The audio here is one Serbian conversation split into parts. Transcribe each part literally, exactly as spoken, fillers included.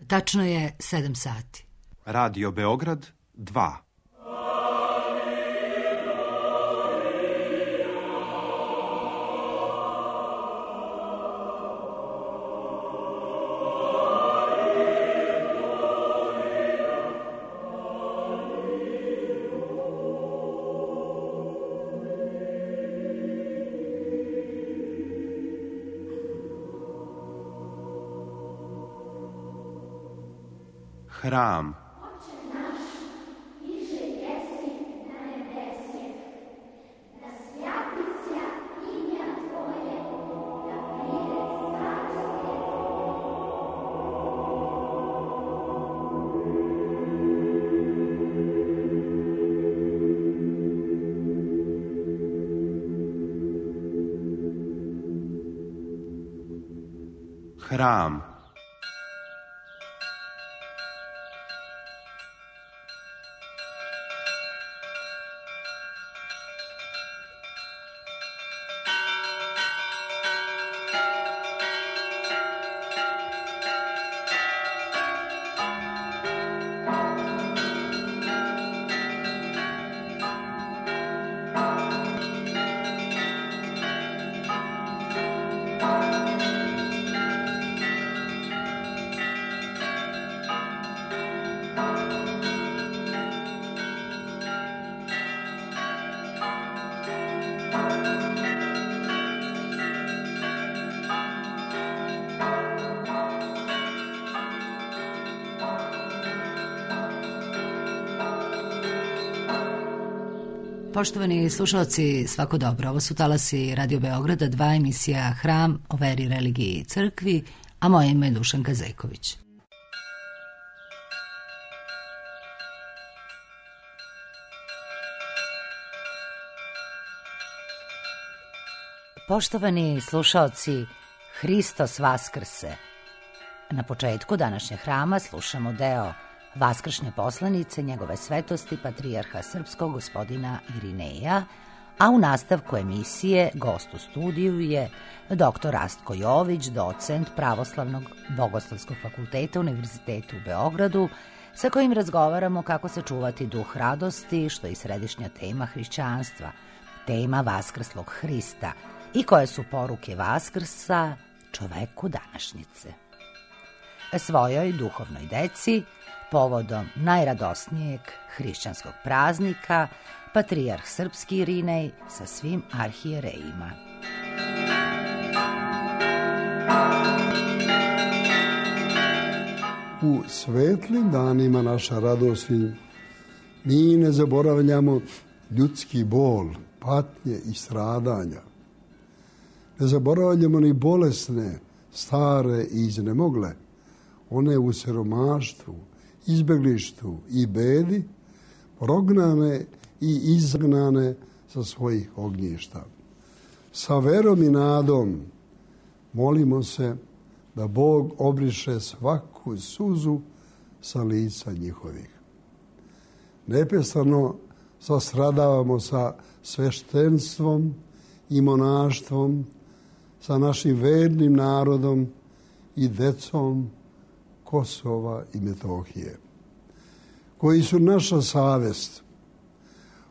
Tačno je sedam sati. Radio Beograd dva. Hram. Hram. Poštovani slušalci, svako dobro. Ovo su talasi Radio Beograda, dva, emisija Hram o veri, religiji i crkvi, a moje ime je Dušanka Zejković. Poštovani slušalci, Hristos Vaskrse. Na početku današnjeg hrama slušamo deo Vaskršnje poslanice njegove svetosti patrijarha srpskog gospodina Irineja, a u nastavku emisije gost u studiju je doktor Rastko Jović, docent Pravoslavnog bogoslovskog fakulteta Univerziteta u Beogradu, sa kojim razgovaramo kako sačuvati duh radosti, što je i središnja tema hrišćanstva, tema Vaskrslog Hrista i koje su poruke Vaskrsa čoveku današnjice. Svojoj duhovnoj deci, povodom najradosnijeg hrišćanskog praznika, patrijarh srpski Irinej sa svim arhijerejima. U svetlim danima naša radosti mi ne zaboravljamo ljudski bol, patnje i stradanja. Ne zaboravljamo ni bolesne, stare i iznemogle, one u siromaštvu, izbeglištu i bedi, prognane i izgnane sa svojih ognjišta. Sa verom i nadom molimo se da Bog obriše svaku suzu sa lica njihovih. Neprestano sastradavamo sa sveštenstvom i monaštvom, sa našim vernim narodom i decom Kosova i Metohije, koji su naša savest.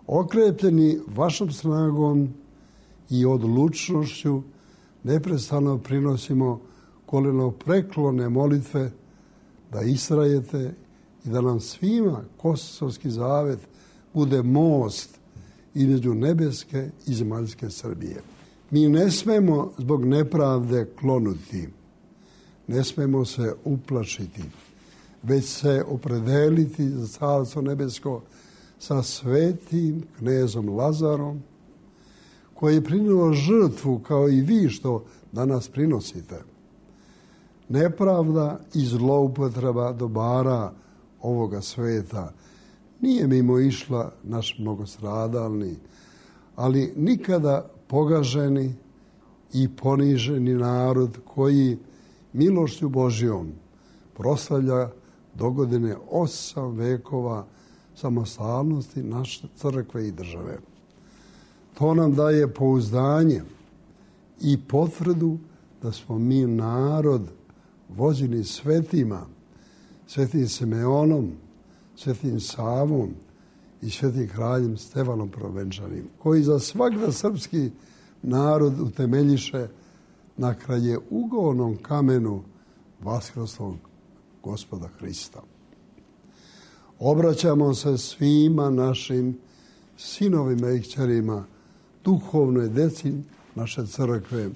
Okrepljeni vašom snagom i odlučnošću neprestano prinosimo kolenopreklone molitve da istrajete i da nam svima Kosovski zavet bude most između nebeske i zemaljske Srbije. Mi ne smemo zbog nepravde klonuti, ne smemo se uplašiti, već se opredeliti za Carstvo nebesko sa svetim knezom Lazarom, koji je prinio žrtvu kao i vi što danas prinosite. Nepravda i zloupotreba dobara ovoga sveta nije mimo išla naš mnogostradalni, ali nikada pogaženi i poniženi narod koji milošću Božjom proslavlja dogodine osam vekova samostalnosti naše crkve i države. To nam daje pouzdanje i potvrdu da smo mi narod vođeni svetima, svetim Simeonom, svetim Savom i svetim kraljem Stefanom Prvenčanim, koji za svakda srpski narod utemeljiše na kraje ugovornom kamenu vaskrslog Gospoda Hrista. Obraćamo se svima našim sinovima i kćerima, duhovnoj deci naše crkve,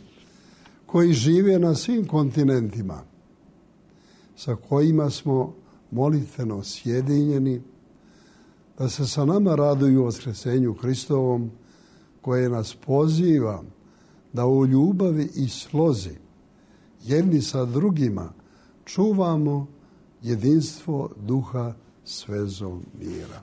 koji žive na svim kontinentima, sa kojima smo molitveno sjedinjeni, da se sa nama raduju vaskrsenju Hristovom, koje nas poziva da u ljubavi i slozi jedni sa drugima čuvamo jedinstvo duha s vezom mira.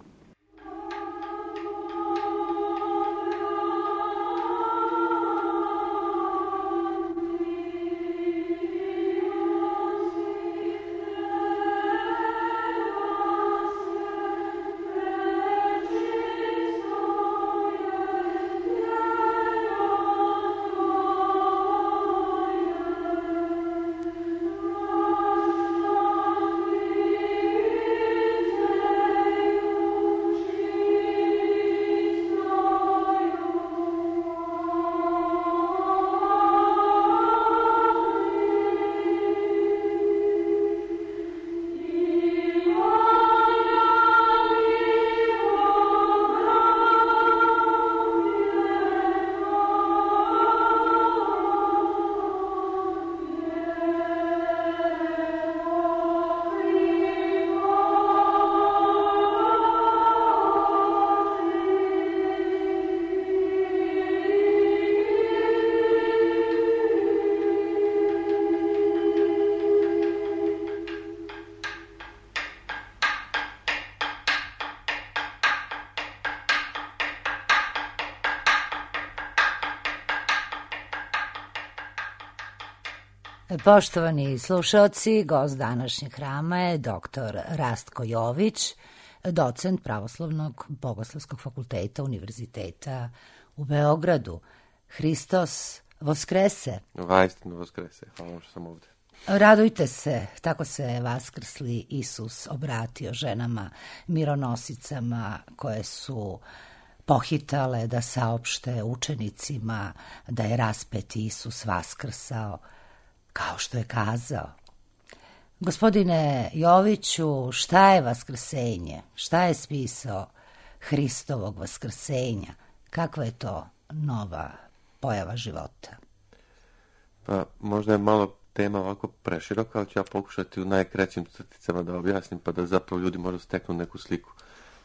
Poštovani slušaoci, gost današnjeg hrama je doktor Rastko Jović, docent Pravoslavnog bogoslovskog fakulteta Univerziteta u Beogradu. Hristos Voskrese. Vaistinu Voskrese, hvala vam što sam ovdje. Radujte se, tako se vaskrsli Isus obratio ženama mironosicama koje su pohitale da saopšte učenicima da je raspeti Isus vaskrsao, kao što je kazao. Gospodine Joviću, šta je vaskrsenje? Šta je smisao Hristovog vaskrsenja? Kakva je to nova pojava života? Pa možda je malo tema ovako preširoka, ali ću ja pokušati u najkraćim crticama da objasnim, pa da zapravo ljudi možda steknu neku sliku.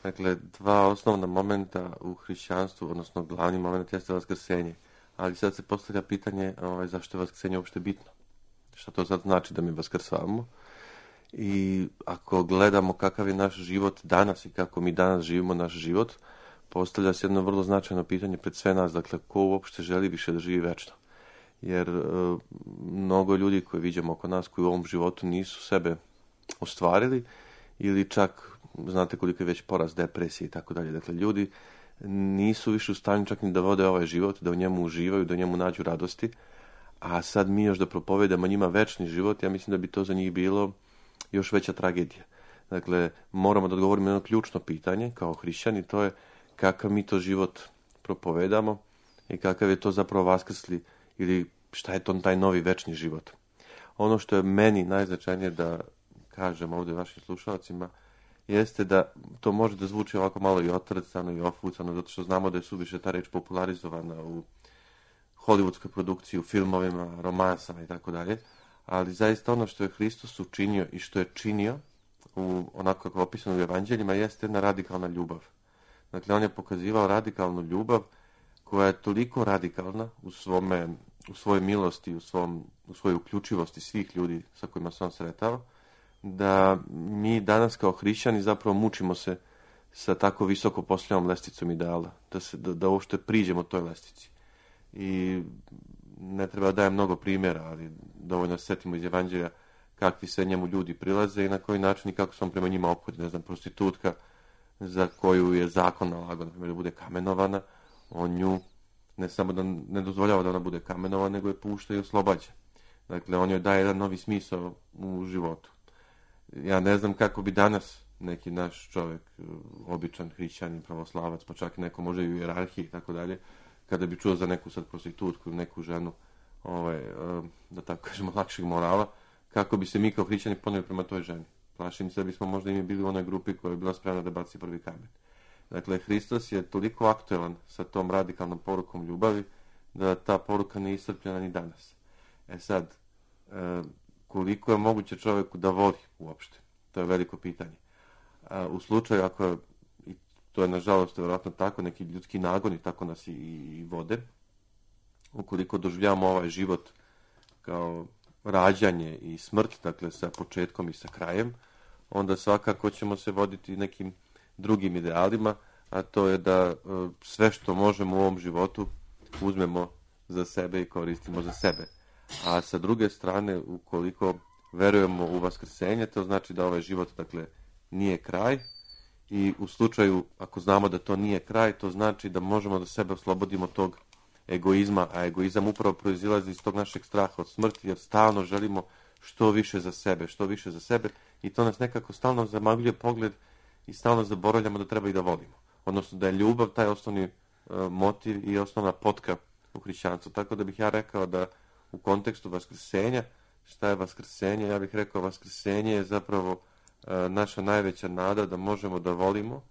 Dakle, dva osnovna momenta u hrišćanstvu, odnosno glavni moment jeste vaskrsenje. Ali sad se postavlja pitanje ovaj, zašto je vaskrsenje uopšte bitno. Šta to sad znači da mi vaskrsavamo? I ako gledamo kakav je naš život danas i kako mi danas živimo naš život, postavlja se jedno vrlo značajno pitanje pred sve nas. Dakle, ko uopšte želi više da živi večno? Jer e, mnogo ljudi koje vidimo oko nas koji u ovom životu nisu sebe ostvarili ili čak, znate koliko je već porast depresije i tako dalje. Dakle, ljudi nisu više u stanju čak ni da vode ovaj život, da u njemu uživaju, da u njemu nađu radosti, a sad mi još da propovedamo njima večni život, ja mislim da bi to za njih bilo još veća tragedija. Dakle, moramo da odgovorimo na jedno ključno pitanje kao hrišćani, to je kakav mi to život propovedamo i kakav je to zapravo vaskrsli ili šta je to taj novi večni život. Ono što je meni najznačajnije da kažem ovdje vašim slušalcima jeste da to može da zvuči ovako malo i otrcano i ofucano, zato što znamo da je suviše ta reč popularizovana u hollywoodskoj produkciji, u filmovima, romansama i tako dalje, ali zaista ono što je Hristos učinio i što je činio u onako kako je opisano u evanđeljima jeste jedna radikalna ljubav. Dakle, on je pokazivao radikalnu ljubav koja je toliko radikalna u svome, u svojoj milosti, u, svom, u svojoj uključivosti svih ljudi sa kojima se on sretao, da mi danas kao hrišćani zapravo mučimo se sa tako visoko postavljenom lesticom ideala, da, se, da, da uopšte priđemo toj lestici. I ne treba da dajem mnogo primjera, ali dovoljno se setimo iz evanđelja kakvi se njemu ljudi prilaze i na koji način i kako se on prema njima ophodi. Ne znam, prostitutka za koju je zakon nalagao, na primjer, da bude kamenovana, on nju ne samo da ne dozvoljava da ona bude kamenovana, nego je pušta i oslobađa. Dakle, on joj daje jedan novi smisao u životu. ja ne znam kako bi danas neki naš čovjek, običan hrišćanin, pravoslavac, pa čak i neko može i u hijerarhiji i tako dalje, kada bi čuo za neku sad prostitutku ili neku ženu, ovaj, da tako kažemo, lakšeg morala, kako bi se mi kao hrišćani poneli prema toj ženi. Plašim se da bismo možda i mi bili u onoj grupi koja je bila spremna da baci prvi kamen. Dakle, Hristos je toliko aktuelan sa tom radikalnom porukom ljubavi, da ta poruka nije iscrpljena ni danas. E sad, koliko je moguće čovjeku da voli uopšte? To je veliko pitanje. U slučaju, ako, i to je nažalost vjerojatno tako, neki ljudski nagoni tako nas i, i vode, ukoliko doživljavamo ovaj život kao rađanje i smrt, dakle sa početkom i sa krajem, onda svakako ćemo se voditi nekim drugim idealima, a to je da sve što možemo u ovom životu uzmemo za sebe i koristimo za sebe. A sa druge strane, ukoliko verujemo u vaskrsenje, to znači da ovaj život, dakle, nije kraj, i u slučaju, ako znamo da to nije kraj, to znači da možemo da sebe oslobodimo tog egoizma, a egoizam upravo proizilazi iz tog našeg straha od smrti, jer stalno želimo što više za sebe, što više za sebe, i to nas nekako stalno zamagljuje pogled i stalno zaboravljamo da treba i da volimo. Odnosno da je ljubav taj osnovni uh, motiv i osnovna potka u hrišćanstvu. Tako da bih ja rekao da u kontekstu vaskrsenja, šta je vaskrsenje? Ja bih rekao vaskrsenje je zapravo uh, naša najveća nada da možemo da volimo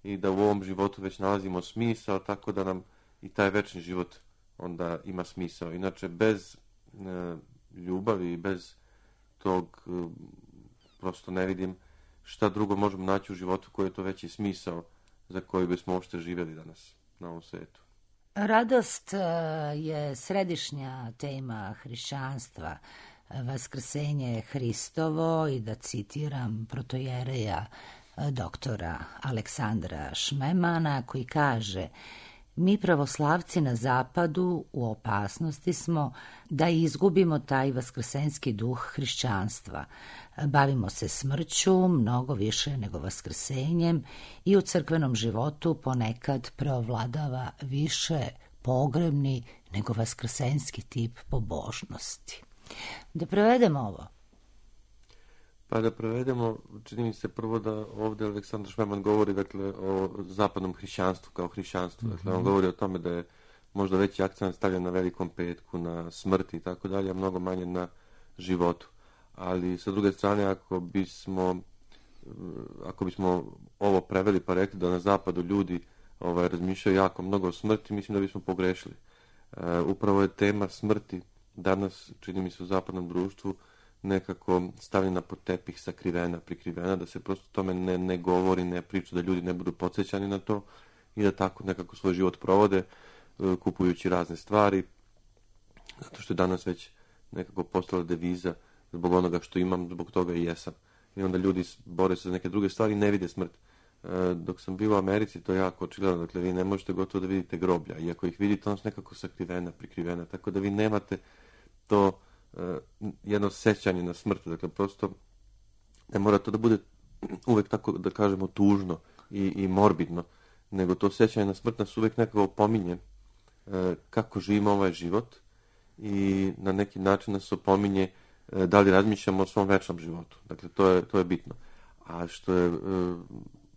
i da u ovom životu već nalazimo smisao, tako da nam i taj večni život onda ima smisao. Inače, bez uh, ljubavi i bez tog uh, prosto ne vidim šta drugo možemo naći u životu koji je to veći smisao za koji bismo uopšte živjeli danas na ovom svijetu. Radost je središnja tema hrišćanstva. Vaskrsenje je Hristovo, i da citiram protojereja doktora Aleksandra Šmemana, koji kaže: mi pravoslavci na zapadu u opasnosti smo da izgubimo taj vaskrsenski duh hrišćanstva. Bavimo se smrću mnogo više nego vaskrsenjem i u crkvenom životu ponekad preovladava više pogrebni nego vaskrsenski tip pobožnosti. Da prevedemo ovo. Pa da prevedemo, čini mi se prvo da ovdje Aleksandar Šmeman govori, dakle, o zapadnom hrišćanstvu kao hrišćanstvu. Dakle, mm-hmm. on govori o tome da je možda veći akcent stavljen na Velikom petku, na smrti i tako dalje, a mnogo manje na životu. Ali sa druge strane, ako bismo ako bismo ovo preveli pa rekli da na zapadu ljudi ovaj, razmišljaju jako mnogo o smrti, mislim da bismo pogrešili. E, upravo je tema smrti danas, čini mi se, u zapadnom društvu nekako stavljena pod tepih, sakrivena, prikrivena, da se prosto tome ne, ne govori, ne priča, da ljudi ne budu podsjećani na to i da tako nekako svoj život provode, kupujući razne stvari, zato što je danas već nekako postala deviza: zbog onoga što imam, zbog toga i jesam. I onda ljudi bore se za neke druge stvari i ne vide smrt. E, dok sam bio u Americi, to je jako očigledno, dakle vi ne možete gotovo da vidite groblja, i ako ih vidite, ono su nekako sakrivena, prikrivena, tako da vi nemate to jedno sećanje na smrt, dakle prosto ne mora to da bude uvek tako, da kažemo, tužno i, i morbidno, nego to sećanje na smrt nas uvek nekako opominje e, kako živimo ovaj život i na neki način nas opominje e, da li razmišljamo o svom večnom životu. Dakle, to je, to je bitno. A što je e,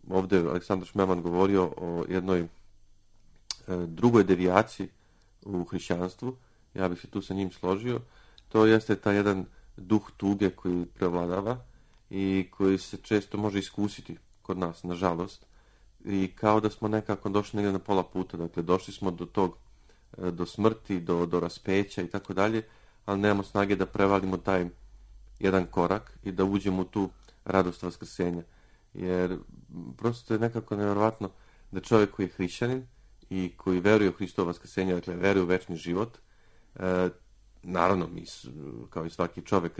ovdje Aleksandar Šmeman govorio o jednoj e, drugoj devijaciji u hrišćanstvu, ja bih se tu sa njim složio. To jeste taj jedan duh tuge koji prevladava i koji se često može iskusiti kod nas, nažalost. I kao da smo nekako došli negdje na pola puta, dakle došli smo do tog, do smrti, do, do raspeća i tako dalje, ali nemamo snage da prevalimo taj jedan korak i da uđemo u tu radost vaskrsenja. Jer prosto je nekako nevjerovatno da čovjek koji je hrišćanin i koji veruje u Hristovo vaskrsenje, dakle veruje u večni život, e, naravno, mi, kao i svaki čovjek,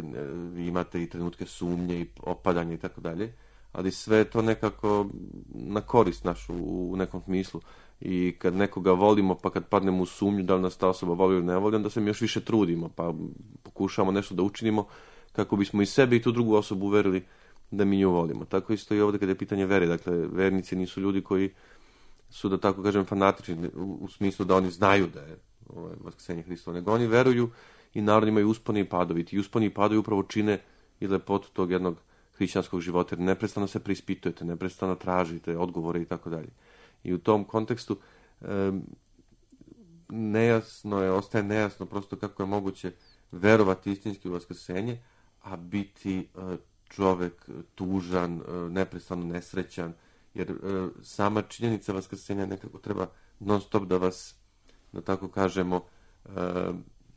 vi imate i trenutke sumnje i opadanja i tako dalje, ali sve je to nekako na korist našu u nekom smislu. I kad nekoga volimo, pa kad padnemo u sumnju da li nas ta osoba voli ili ne voli, onda se mi još više trudimo, pa pokušamo nešto da učinimo kako bismo i sebe i tu drugu osobu uverili da mi nju volimo. Tako isto i ovdje kada je pitanje vere. Dakle, vernici nisu ljudi koji su, da tako kažem, fanatični u, u smislu da oni znaju da je ovaj, vaskrsenje Hristovo, nego oni veruju i naravno imaju usponi i padovi. Ti usponi i padovi upravo čine i lepotu tog jednog hrišćanskog života, jer neprestano se preispitujete, neprestano tražite odgovore i tako dalje. I u tom kontekstu um, nejasno je, ostaje nejasno prosto kako je moguće verovati istinski u vaskrsenje, a biti uh, čovek tužan, uh, neprestano nesrećan, jer uh, sama činjenica vaskrsenja nekako treba non stop da vas, da tako kažemo, uh,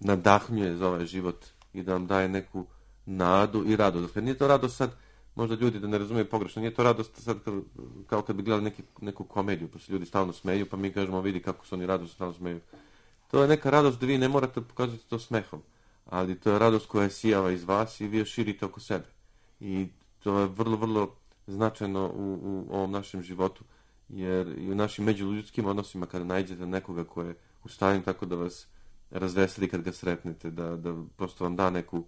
nadahnjuje za ovaj život i da vam daje neku nadu i radost. Dakle, nije to radost sad, možda ljudi da ne razumiju pogrešno, nije to radost sad kao, kao kad bi gledali neki, neku komediju, pa se ljudi stalno smeju, pa mi kažemo vidi kako su oni radost stalno smeju. To je neka radost da vi ne morate pokazati to smehom, ali to je radost koja sijava iz vas i vi je širite oko sebe. I to je vrlo, vrlo značajno u, u ovom našem životu, jer i u našim međuljudskim odnosima kada nađete nekoga ko je u stanju tako da vas razveseli kad ga sretnete, da, da prosto vam da neku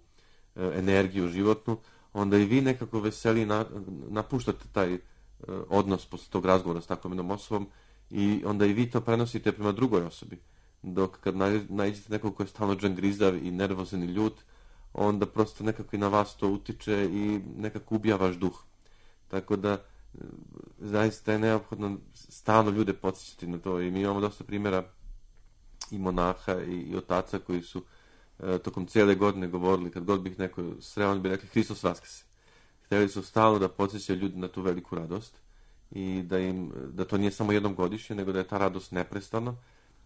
e, energiju životnu, onda i vi nekako veseli na, napuštate taj e, odnos posle tog razgovora s takvom jednom osobom i onda i vi to prenosite prema drugoj osobi. Dok kad nađete nekog ko je stalno džangrizav i nervozan i ljut, onda prosto nekako i na vas to utiče i nekako ubija vaš duh. Tako da zaista je neophodno stalno ljude podsjećati na to i mi imamo dosta primjera i monaha i, i otaca koji su e, tokom cijele godine govorili, kad god bih neko sreo, oni bi rekli Hristos vaskrse. Htjeli su stalno da podsjećaju ljudi na tu veliku radost i da im, da to nije samo jednom godišnje, nego da je ta radost neprestana,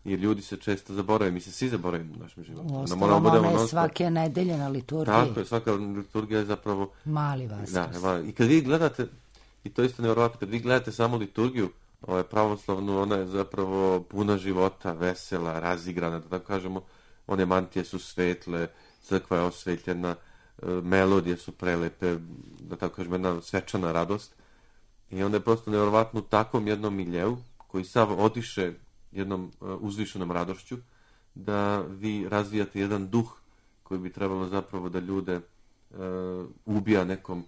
jer ljudi se često zaborave, mi se svi zaboravimo u našem životu. Uostalom, ona je svake nedelje na liturgiji. Tako je, svaka liturgija je zapravo mali vaskrs. Da, i kad vi gledate, i to isto nevjerovatno, kad vi gledate samo liturgiju, ovaj, pravoslavnu, ona je zapravo puna života, vesela, razigrana, da tako kažemo, one mantije su svetle, crkva je osvetljena, melodije su prelepe, da tako kažemo, jedna svečana radost. I onda je prosto nevjerovatno u takvom jednom miljeu, koji sav odiše jednom uzvišenom radošću, da vi razvijate jedan duh koji bi trebalo zapravo da ljude uh, ubija nekom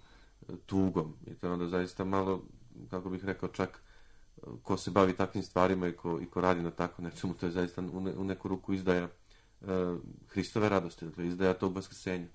tugom. I to je onda zaista malo, kako bih rekao, čak ko se bavi takvim stvarima i ko, i ko radi na tako nečemu, to je zaista u, ne, u neku ruku izdaja uh, Hristove radosti, dakle izdaja tog vaskrsenja.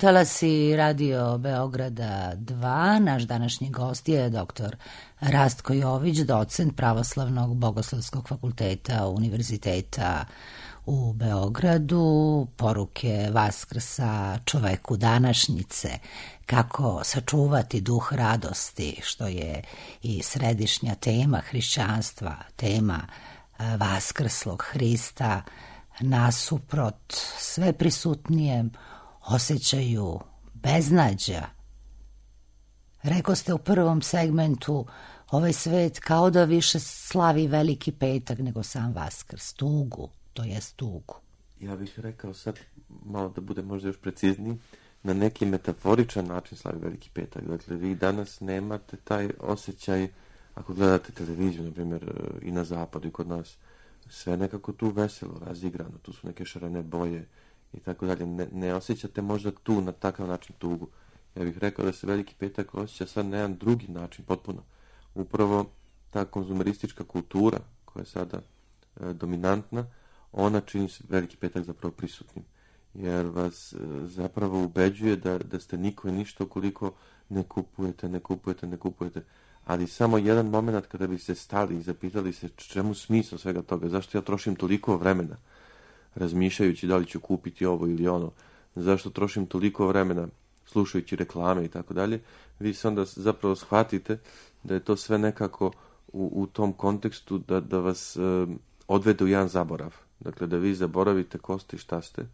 Talasi Radio Beograda dva, naš današnji gost je doktor Rastko Jović, docent Pravoslavnog bogoslovskog fakulteta Univerziteta u Beogradu. Poruke Vaskrsa čoveku današnjice, kako sačuvati duh radosti, što je i središnja tema hrišćanstva, tema vaskrslog Hrista, nasuprot sve prisutnijem osjećaju beznađa. Rekao ste u prvom segmentu ovaj svet kao da više slavi Veliki petak nego sam Vaskrs, tugu, to jest tugu. Ja bih rekao sad, malo da bude možda još precizniji, na neki metaforičan način slavi Veliki petak. Dakle, vi danas nemate taj osjećaj, ako gledate televiziju, na primjer, i na zapadu i kod nas, sve nekako tu veselo, razigrano, tu su neke šarene boje i tako dalje. Ne, ne osjećate možda tu na takav način tugu. Ja bih rekao da se Veliki petak osjeća sad na jedan drugi način, potpuno. Upravo ta konzumeristička kultura koja je sada e, dominantna, ona čini se Veliki petak zapravo prisutnim. Jer vas e, zapravo ubeđuje da, da ste niko i ništa ukoliko ne kupujete, ne kupujete, ne kupujete. Ali samo jedan moment kada bi se stali i zapitali se čemu smisao svega toga, zašto ja trošim toliko vremena razmišljajući da li ću kupiti ovo ili ono, zašto trošim toliko vremena slušajući reklame i tako dalje, vi se onda zapravo shvatite da je to sve nekako u, u tom kontekstu da, da vas e, odvede u jedan zaborav. Dakle, da vi zaboravite ko ste i šta ste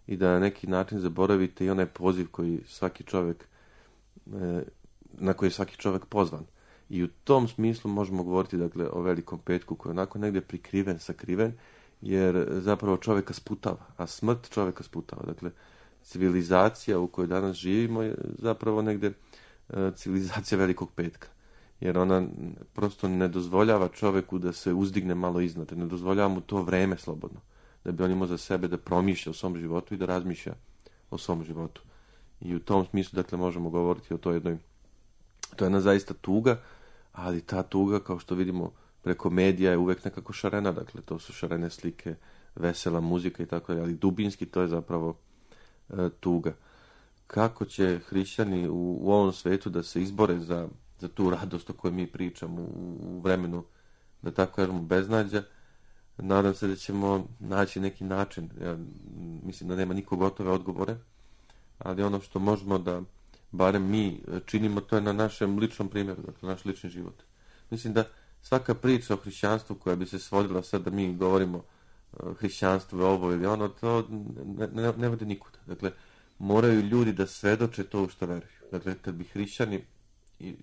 i da na neki način zaboravite i onaj poziv koji svaki čovjek, e, na koji je svaki čovjek pozvan. I u tom smislu možemo govoriti, dakle, o Velikom petku koji je onako negdje prikriven, sakriven, jer zapravo čovjeka sputava, a smrt čovjeka sputava. Dakle, civilizacija u kojoj danas živimo je zapravo negdje e, civilizacija Velikog petka. Jer ona prosto ne dozvoljava čovjeku da se uzdigne malo iznad, ne dozvoljava mu to vreme slobodno, da bi on imao za sebe da promišlja o svom životu i da razmišlja o svom životu. I u tom smislu, dakle, možemo govoriti o toj jednoj, to je jedna zaista tuga, ali ta tuga, kao što vidimo preko medija, je uvek nekako šarena, dakle, to su šarene slike, vesela muzika i tako dalje, ali dubinski to je zapravo e, tuga. Kako će hrišćani u, u ovom svetu da se izbore za, za tu radost o kojoj mi pričamo u, u vremenu, da tako kažemo, beznađa, nadam se da ćemo naći neki način. Ja mislim da nema niko gotove odgovore, ali ono što možemo da barem mi činimo, to je na našem ličnom primjeru, dakle, naš lični život. Mislim da svaka priča o hrišćanstvu koja bi se svodila sad da mi govorimo hrišćanstvo je ovo ili ono, to ne, ne, ne vode nikuda. Dakle, moraju ljudi da svedoče to u što veruju. Dakle, kad bi hrišćani, i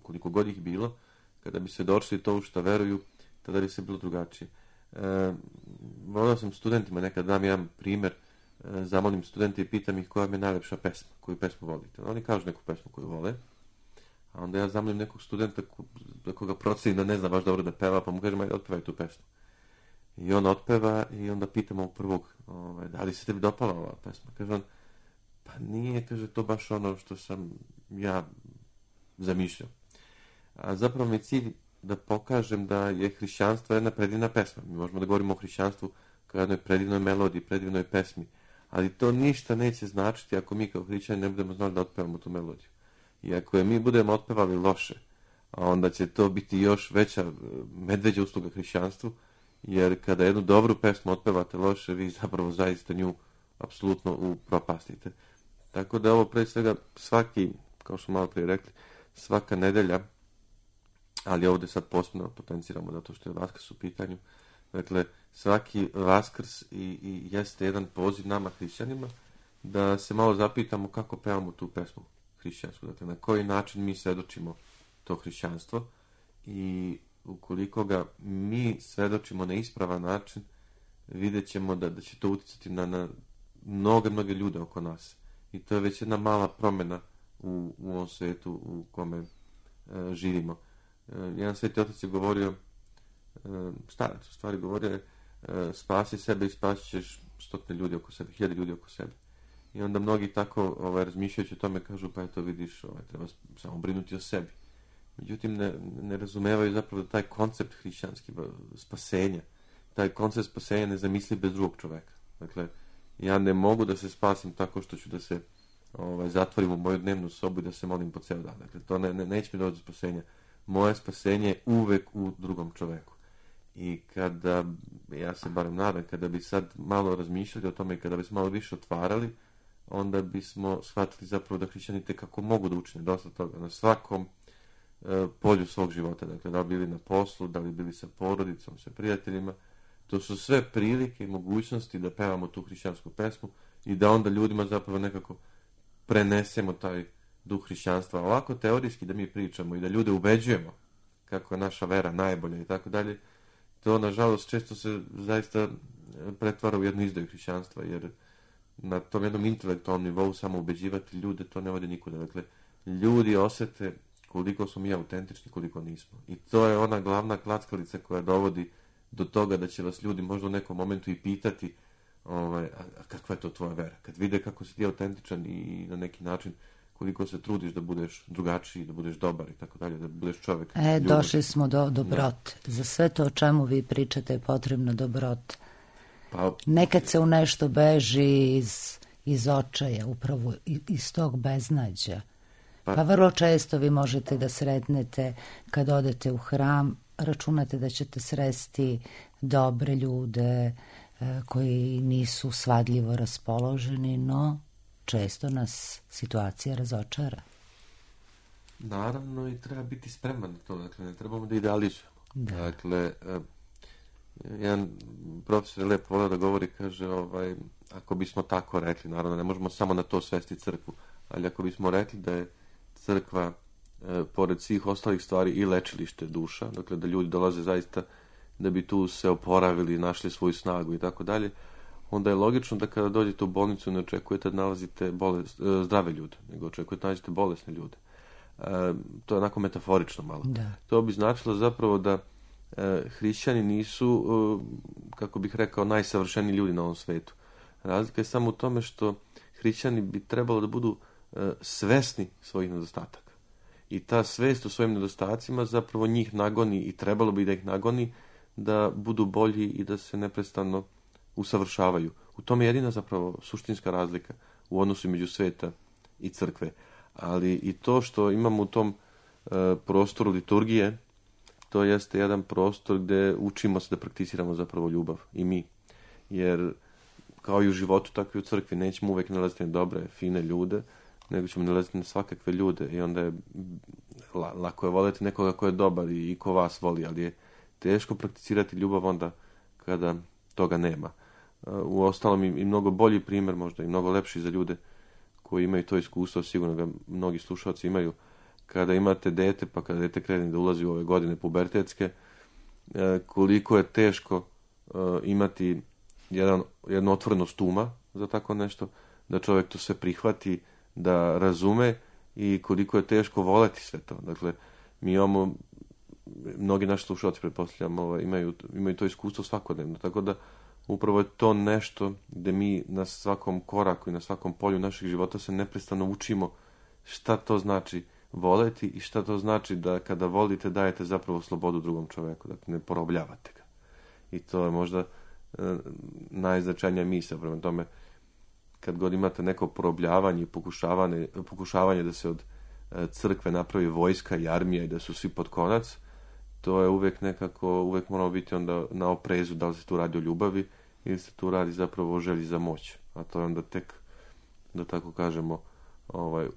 koliko god ih bilo, kada bi svedočili to u što veruju, tada bi se bilo drugačije. E, volio sam studentima, nekad dam jedan primjer, e, zamolim studente i pitam ih koja mi je najlepša pesma, koju pesmu volite. Oni kažu neku pesmu koju vole, a onda ja zamolim nekog studenta ko, koga proceni da ne zna baš dobro da peva, pa mu kažem, ajde, otpevaj tu pesmu. I on otpeva i onda pitamo u prvog, ovaj, da li se tebi dopala ova pesma? Kaže on, pa nije, kaže, to baš ono što sam ja zamišljao. A zapravo mi je cilj da pokažem da je hrišćanstvo jedna predivna pesma. Mi možemo da govorimo o hrišćanstvu kao jednoj predivnoj melodiji, predivnoj pesmi, ali to ništa neće značiti ako mi kao hrišćani ne budemo znali da otpevamo tu melodiju. I ako je mi budemo otpevali loše, onda će to biti još veća medveđa usluga hrišćanstvu, jer kada jednu dobru pesmu otpevate loše, vi zapravo zaista nju apsolutno upropastite. Tako da ovo pre svega svaki, kao što malo prije rekli, svaka nedelja, ali ovdje sad posebno potenciramo zato što je Vaskrs u pitanju. Dakle, svaki Vaskrs i, i jeste jedan poziv nama hrišćanima da se malo zapitamo kako pevamo tu pesmu hrišćansku. Dakle, na koji način mi svedočimo to hrišćanstvo i ukoliko ga mi svedočimo na ispravan način, vidjet ćemo da, da će to uticati na, na mnoge, mnoge ljude oko nas. I to je već jedna mala promjena u, u ovom svijetu u kome e, živimo. E, jedan sveti otac je govorio, e, starac u stvari govorio, e, spasi sebe i spasit ćeš stotine ljudi oko sebe, hiljade ljudi oko sebe. I onda mnogi tako ovaj, razmišljajući o tome kažu, pa eto vidiš, ovaj, treba samo brinuti o sebi. Međutim, ne, ne razumevaju zapravo da taj koncept hrišćanski spasenja, taj koncept spasenja ne zamisli bez drugog čoveka. Dakle, ja ne mogu da se spasim tako što ću da se ovaj, zatvorim u moju dnevnu sobu i da se molim po ceo dan. Dakle, to ne, ne, neće mi doći do spasenja. Moje spasenje je uvek u drugom čoveku. I kada, ja se barem nadam, kada bi sad malo razmišljali o tome i kada bi se malo više otvarali, onda bismo shvatili zapravo da hrišćani kako mogu da učine dosta toga na svakom e, polju svog života. Dakle, da li bili na poslu, da li bili sa porodicom, sa prijateljima. To su sve prilike i mogućnosti da pevamo tu hrišćansku pesmu i da onda ljudima zapravo nekako prenesemo taj duh hrišćanstva. Ovako teorijski da mi pričamo i da ljude ubeđujemo kako je naša vera najbolja i tako dalje, to nažalost često se zaista pretvara u jednu izdaju hrišćanstva, jer na tom jednom intelektualnom nivou samo ubeđivati ljude, to ne vodi nikuda. Dakle, ljudi osete koliko smo mi autentični, koliko nismo. I to je ona glavna klackalica koja dovodi do toga da će vas ljudi možda u nekom momentu i pitati ovaj, a, a kakva je to tvoja vera? Kad vide kako si ti autentičan i na neki način koliko se trudiš da budeš drugačiji, da budeš dobar i tako dalje, da budeš čovjek. E, ljubav. Došli smo do dobrote. Da. Za sve to o čemu vi pričate je potrebno dobrota. Pa, nekad se u nešto beži iz, iz očaja, upravo iz tog beznađa. Pa, pa vrlo često vi možete da sretnete kad odete u hram, računate da ćete sresti dobre ljude e, koji nisu svadljivo raspoloženi, no često nas situacija razočara. Naravno, i treba biti spreman na to, dakle, ne trebamo da idealizujemo. Da. Dakle, e, jedan profesor je lepo volio da govori, kaže, ovaj, ako bismo tako rekli, naravno, ne možemo samo na to svesti crkvu, ali ako bismo rekli da je crkva, e, pored svih ostalih stvari, i lečilište duša, dakle, da ljudi dolaze zaista da bi tu se oporavili, našli svoju snagu i tako dalje, onda je logično da kada dođete u bolnicu ne očekujete da nalazite bolest, e, zdrave ljude, nego očekujete da nađete bolesne ljude. E, to je onako metaforično malo. Da. To bi značilo zapravo da e, hrišćani nisu, e, kako bih rekao, najsavršeniji ljudi na ovom svetu. Razlika je samo u tome što hrišćani bi trebalo da budu e, svesni svojih nedostataka. I ta svest o svojim nedostacima zapravo njih nagoni i trebalo bi da ih nagoni da budu bolji i da se neprestano usavršavaju. U tome je jedina zapravo suštinska razlika u odnosu među sveta i crkve. Ali i to što imamo u tom e, prostoru liturgije, to jeste jedan prostor gde učimo se da prakticiramo zapravo ljubav i mi. Jer kao i u životu, tako i u crkvi nećemo uvek nalaziti na dobre, fine ljude, nego ćemo nalaziti na svakakve ljude i onda je la, lako je voljeti nekoga ko je dobar i, i ko vas voli, ali je teško prakticirati ljubav onda kada toga nema. U ostalom i, i mnogo bolji primjer, možda i mnogo lepši za ljude koji imaju to iskustvo, sigurno ga mnogi slušalci imaju, kada imate dete, pa kada dete krene da ulazi u ove godine pubertetske, koliko je teško imati jedan, jednu otvorenost uma za tako nešto, da čovjek to sve prihvati, da razume i koliko je teško voleti sve to. Dakle, mi imamo, mnogi naši slušalci, pretpostavljam, ovaj, imaju, imaju to iskustvo svakodnevno, tako da upravo je to nešto gde mi na svakom koraku i na svakom polju naših života se neprestano učimo šta to znači voleti i šta to znači da kada volite dajete zapravo slobodu drugom čoveku, dakle ne porobljavate ga. I to je možda e, najznačajnija misao. Prema tome, kad god imate neko porobljavanje i pokušavanje, pokušavanje da se od e, crkve napravi vojska i armija i da su svi pod konac, to je uvek nekako, uvek moramo biti onda na oprezu da li se tu radi o ljubavi ili se tu radi zapravo o želji za moć. A to je onda tek, da tako kažemo, ovaj,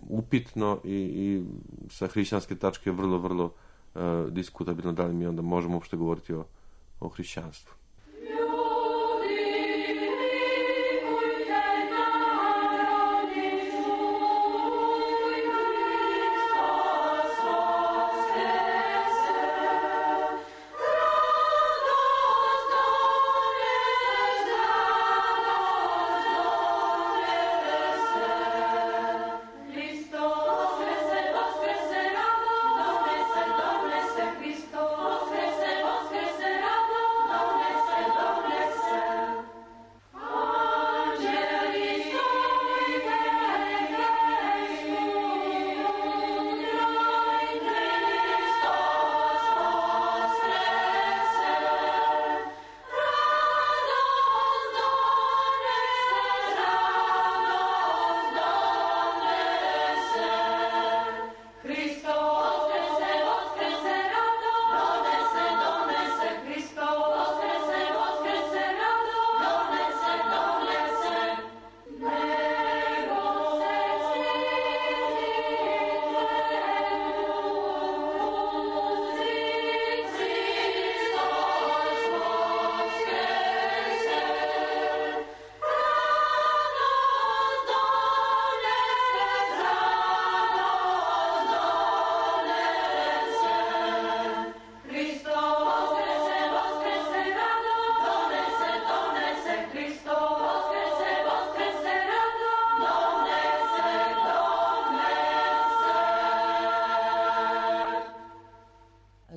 upitno i, i sa hrišćanske tačke vrlo, vrlo uh, diskutabilno da li mi onda možemo uopšte govoriti o, o hrišćanstvu. Cristo, Cristo,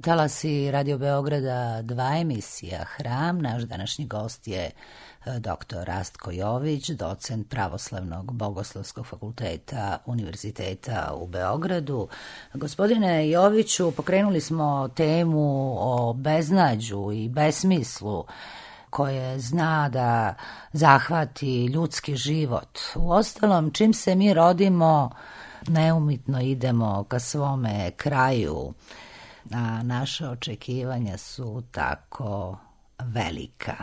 Talasi Radio Beograda dva, emisija Hram. Naš današnji gost je doktor Rastko Jović, docent Pravoslavnog bogoslovskog fakulteta Univerziteta u Beogradu. Gospodine Joviću, pokrenuli smo temu o beznađu i besmislu koje zna da zahvati ljudski život. Uostalom, čim se mi rodimo, neumitno idemo ka svome kraju, a naše očekivanja su tako velika,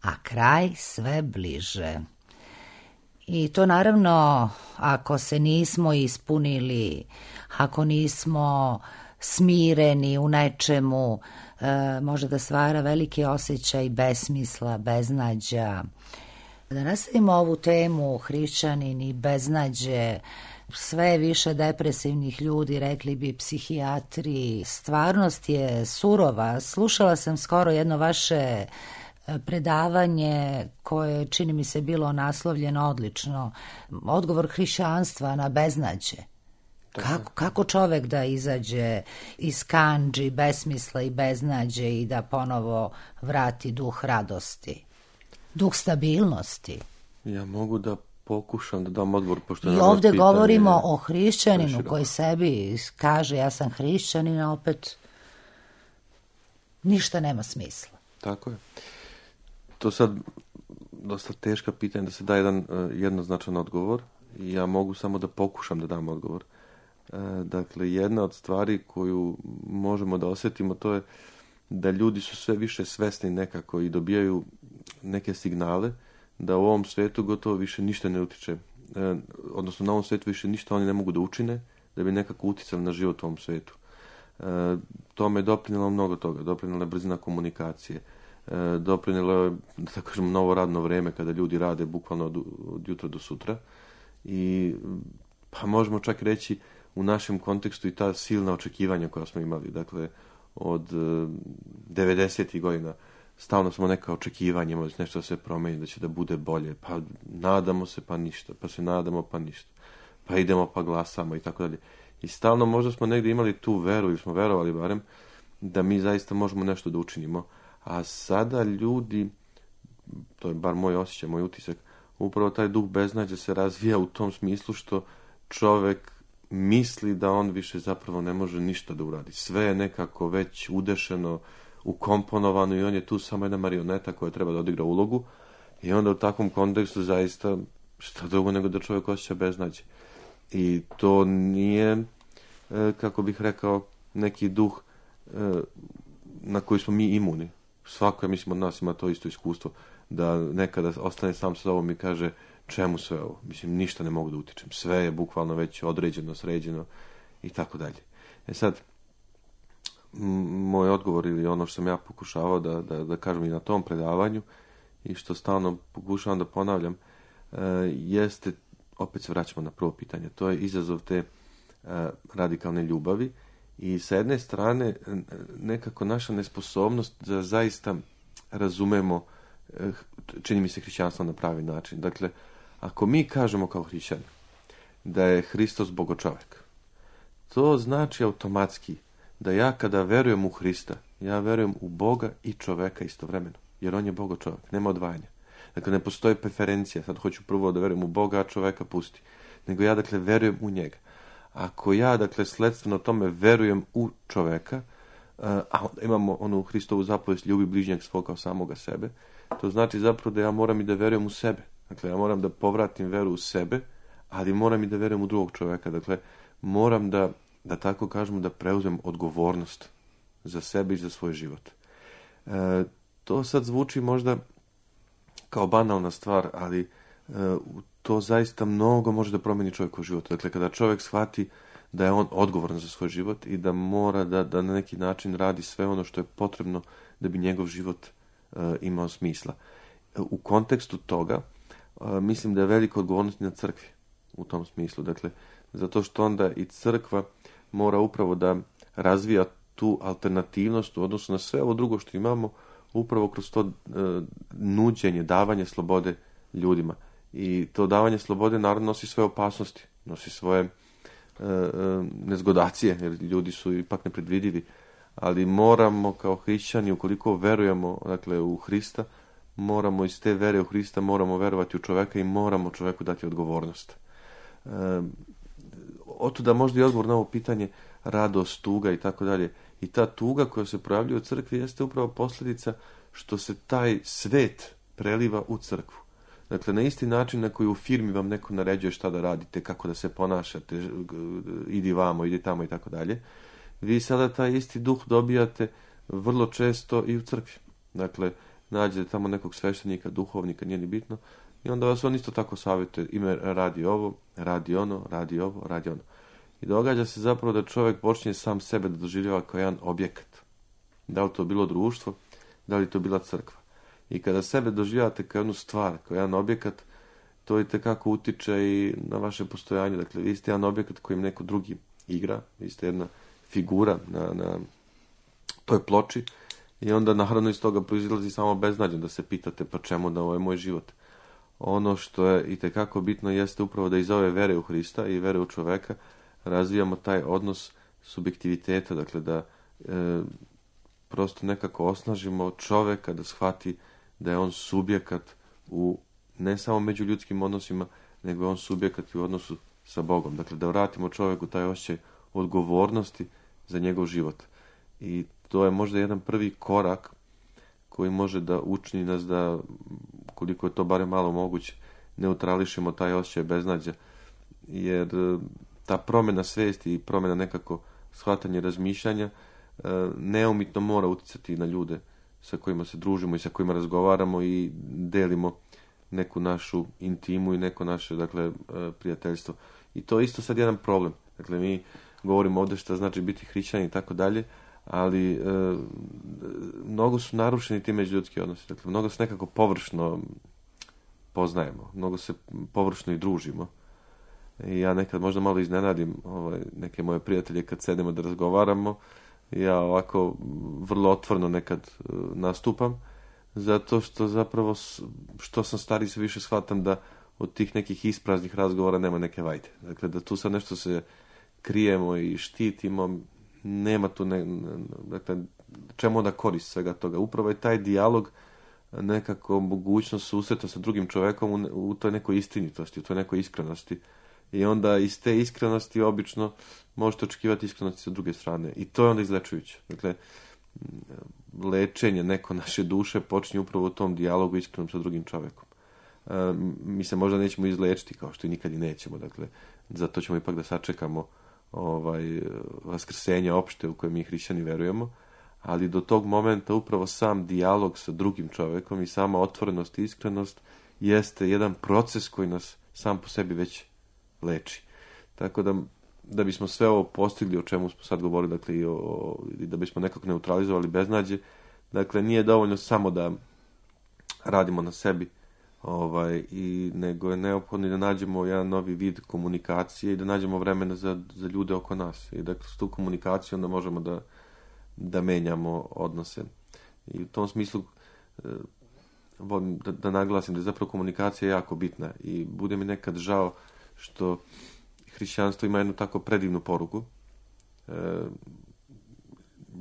a kraj sve bliže. I to naravno, ako se nismo ispunili, ako nismo smireni u nečemu, e, može da stvara veliki osjećaj besmisla, beznađa. Da nastavimo ovu temu, hrišćanin i beznađe, sve više depresivnih ljudi, rekli bi psihijatri. Stvarnost je surova. Slušala sam skoro jedno vaše predavanje koje, čini mi se, bilo naslovljeno odlično. Odgovor hrišćanstva na beznađe. Kako, kako čovek da izađe iz kandži, besmisla i beznađe i da ponovo vrati duh radosti, duh stabilnosti? Ja mogu da pokušam da dam odgovor, pošto i ovde govorimo o hrišćaninu koji sebi kaže ja sam hrišćanin, a opet ništa nema smisla. Tako je. To sad dosta teška pitanja da se da jedan uh, jednoznačan odgovor i ja mogu samo da pokušam da dam odgovor. Uh, dakle, jedna od stvari koju možemo da osjetimo, to je da ljudi su sve više svesni nekako i dobijaju neke signale da u ovom svetu gotovo više ništa ne utiče, e, odnosno na ovom svetu više ništa oni ne mogu da učine da bi nekako uticali na život u ovom svetu. E, tome je doprinjelo mnogo toga, doprinjela je brzina komunikacije, e, doprinjelo je, da tako kažemo, novo radno vreme kada ljudi rade bukvalno od, od jutra do sutra i pa možemo čak reći u našem kontekstu i ta silna očekivanja koja smo imali, dakle od e, devedesetih godina stalno smo neka očekivanja, imali nešto da se promeni, da će da bude bolje, pa nadamo se pa ništa, pa se nadamo pa ništa, pa idemo pa glasamo i tako dalje. I stalno možda smo negdje imali tu veru ili smo verovali barem da mi zaista možemo nešto da učinimo, a sada ljudi, to je bar moj osjećaj, moj utisak, upravo taj duh beznađa se razvija u tom smislu što čovek misli da on više zapravo ne može ništa da uradi. Sve je nekako već udešeno, ukomponovano i on je tu samo jedna marioneta koja treba da odigra ulogu i onda u takvom kontekstu zaista šta drugo nego da čovjek osjeća beznađe. I to nije, kako bih rekao, neki duh na koji smo mi imuni. Svako, ja mislim, od nas ima to isto iskustvo da nekada ostane sam sa sobom i kaže čemu sve ovo? Mislim, ništa ne mogu da utičem. Sve je bukvalno već određeno, sređeno i tako dalje. E sad, moj odgovor ili ono što sam ja pokušavao da, da, da kažem i na tom predavanju i što stalno pokušavam da ponavljam, e, jeste, opet se vraćamo na prvo pitanje, to je izazov te e, radikalne ljubavi i sa jedne strane nekako naša nesposobnost da zaista razumemo, e, čini mi se, hrišćanstvo na pravi način. Dakle, ako mi kažemo kao hrišćani da je Hristos bogočovek, to znači automatski da ja kada verujem u Hrista, ja verujem u Boga i čoveka istovremeno, jer on je bogočovek, nema odvajanja. Dakle, ne postoji preferencija, sad hoću prvo da verujem u Boga, a čoveka pusti, nego ja, dakle, verujem u njega. Ako ja, dakle, sledstveno tome verujem u čoveka, a onda imamo onu Hristovu zapovest ljubi bližnjeg svog kao samoga sebe, to znači zapravo da ja moram i da verujem u sebe. Dakle, ja moram da povratim veru u sebe, ali moram i da verujem u drugog čoveka. Dakle, moram da da tako kažemo, da preuzmem odgovornost za sebe i za svoj život. E, to sad zvuči možda kao banalna stvar, ali e, to zaista mnogo može da promeni čovjekov život. Dakle, kada čovjek shvati da je on odgovoran za svoj život i da mora da, da na neki način radi sve ono što je potrebno da bi njegov život e, imao smisla. E, u kontekstu toga, e, mislim da je velika odgovornost na crkvi u tom smislu. Dakle, zato što onda i crkva mora upravo da razvija tu alternativnost u odnosu na sve ovo drugo što imamo, upravo kroz to e, nuđenje, davanje slobode ljudima. I to davanje slobode naravno nosi svoje opasnosti, nosi svoje e, e, nezgodacije, jer ljudi su ipak nepredvidivi, ali moramo kao hrišćani, ukoliko verujemo, dakle, u Hrista, moramo iz te vere u Hrista, moramo verovati u čoveka i moramo čoveku dati odgovornost. E, otuda možda i odgovor na ovo pitanje radost, tuga i tako dalje. I ta tuga koja se projavljuje u crkvi jeste upravo posljedica što se taj svet preliva u crkvu. Dakle, na isti način na koji u firmi vam neko naređuje šta da radite, kako da se ponašate, idi vamo, idi tamo i tako dalje, vi sada taj isti duh dobijate vrlo često i u crkvi. Dakle, nađete tamo nekog sveštenika, duhovnika, nije ni bitno, i onda vas on isto tako savjetuje, ime radi ovo, radi ono, radi ovo, radi ono. I događa se zapravo da čovjek počinje sam sebe da doživljava kao jedan objekat. Da li to bilo društvo, da li to bila crkva. I kada sebe doživljavate kao jednu stvar, kao jedan objekat, to itekako utiče i na vaše postojanje. Dakle, vi ste jedan objekat kojim neko drugi igra, vi ste jedna figura na, na toj ploči i onda naravno iz toga proizilazi samo beznađe da se pitate pa čemu da ovo je moj život. Ono što je itekako bitno jeste upravo da iz ove vere u Hrista i vere u čoveka razvijamo taj odnos subjektiviteta, dakle da e, prosto nekako osnažimo čoveka da shvati da je on subjekat u ne samo među ljudskim odnosima, nego je on subjekat u odnosu sa Bogom. Dakle, da vratimo čoveku taj osjećaj odgovornosti za njegov život. I to je možda jedan prvi korak koji može da učini nas da, koliko je to barem malo moguće, neutrališemo taj osjećaj beznađa. Jer ta promjena svijesti i promjena nekako shvatanja i razmišljanja neumitno mora utjecati na ljude sa kojima se družimo i sa kojima razgovaramo i delimo neku našu intimu i neko naše, dakle, prijateljstvo. I to je isto sad jedan problem. Dakle, mi govorimo ovdje šta znači biti hrišćani i tako dalje, ali e, mnogo su narušeni ti međuljudski odnosi. Dakle, mnogo se nekako površno poznajemo, mnogo se površno i družimo. I ja nekad možda malo iznenadim ovaj, neke moje prijatelje kad sedemo da razgovaramo. Ja ovako vrlo otvoreno nekad uh, nastupam, zato što zapravo što sam stariji sve više shvatam da od tih nekih ispraznih razgovora nema neke vajde. Dakle, da tu sad nešto se krijemo i štitimo, nema tu ne, dakle, čemu onda korist svega toga. Upravo je taj dijalog nekako mogućnost susreta sa drugim čovjekom u, u toj nekoj istinitosti, u toj nekoj iskrenosti. I onda iz te iskrenosti obično možete očekivati iskrenosti sa druge strane. I to je onda izlečujuće. Dakle, lečenje neko naše duše počinje upravo u tom dijalogu iskrenom sa drugim čovjekom. E, mi se možda nećemo izlečiti, kao što i nikad i nećemo. Dakle, zato ćemo ipak da sačekamo ovaj, vaskrsenje opšte u koje mi hrišćani verujemo. Ali do tog momenta upravo sam dijalog sa drugim čovjekom i sama otvorenost i iskrenost jeste jedan proces koji nas sam po sebi već leči. Tako da, da bismo sve ovo postigli o čemu smo sad govorili, dakle, i, o, i da bismo nekako neutralizovali beznađe, dakle, nije dovoljno samo da radimo na sebi, ovaj, i, nego je neophodno da nađemo jedan novi vid komunikacije i da nađemo vremena za, za ljude oko nas. I dakle, s tu komunikaciju onda možemo da, da menjamo odnose. I u tom smislu volim da, da naglasim da je zapravo komunikacija jako bitna i bude mi nekad žao što hrišćanstvo ima jednu tako predivnu poruku, e,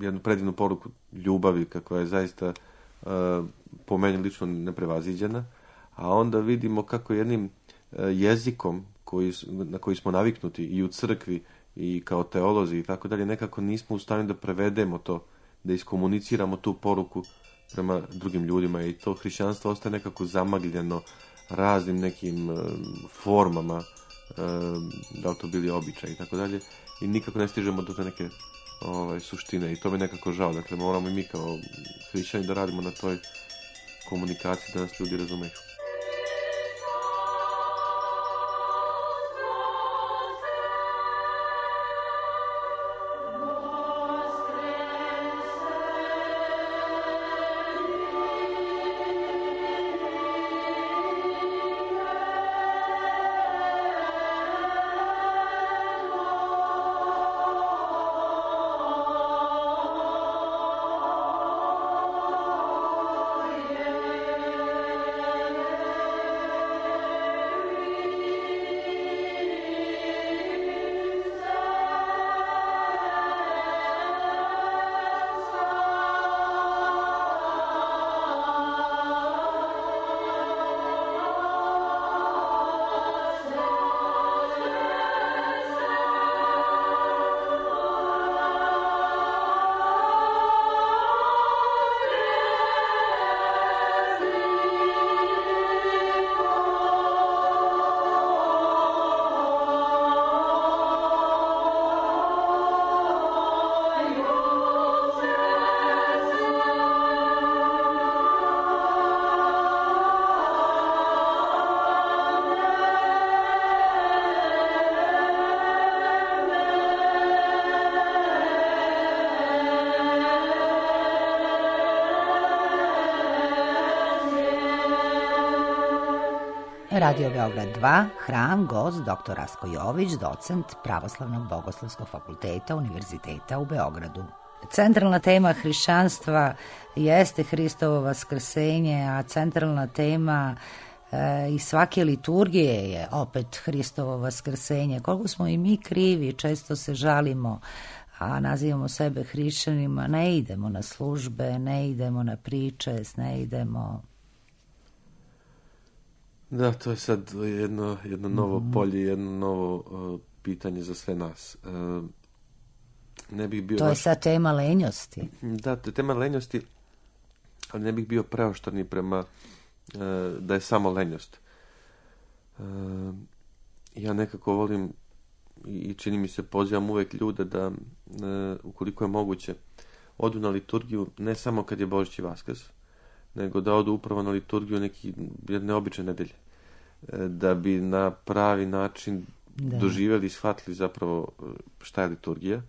jednu predivnu poruku ljubavi, kako je zaista e, po meni lično neprevaziđena, a onda vidimo kako jednim e, jezikom koji, na koji smo naviknuti i u crkvi i kao teolozi i tako dalje, nekako nismo u stanju da prevedemo to, da iskomuniciramo tu poruku prema drugim ljudima i to hrišćanstvo ostaje nekako zamagljeno raznim nekim e, formama, da li to bili običaj i tako dalje, i nikako ne stižemo do te neke ovaj, suštine i to mi nekako žao. Dakle, moramo i mi kao hrišćani da radimo na toj komunikaciji da nas ljudi razumeju. Radio Beograd dva, Hram, gost doktor Rasko Jović, docent Pravoslavnog bogoslovskog fakulteta Univerziteta u Beogradu. Centralna tema hrišćanstva jeste Hristovo vaskrsenje, a centralna tema e, i svake liturgije je opet Hristovo vaskrsenje. Koliko smo i mi krivi, često se žalimo, a nazivamo sebe hrišćanima, ne idemo na službe, ne idemo na priče, ne idemo... Da, to je sad jedno, jedno novo mm-hmm. polje, jedno novo uh, pitanje za sve nas. Uh, ne bih bio to je baš... sad tema lenjosti. Da, to je tema lenjosti, ali ne bih bio preoštar ni prema uh, da je samo lenjost. Uh, ja nekako volim i čini mi se pozivam uvek ljude da, uh, ukoliko je moguće, odu na liturgiju ne samo kad je Božić i Vaskrs, nego da odu upravo na liturgiju neki jedne obične nedelje. Da bi na pravi način da. doživjeli i shvatili zapravo šta je liturgija.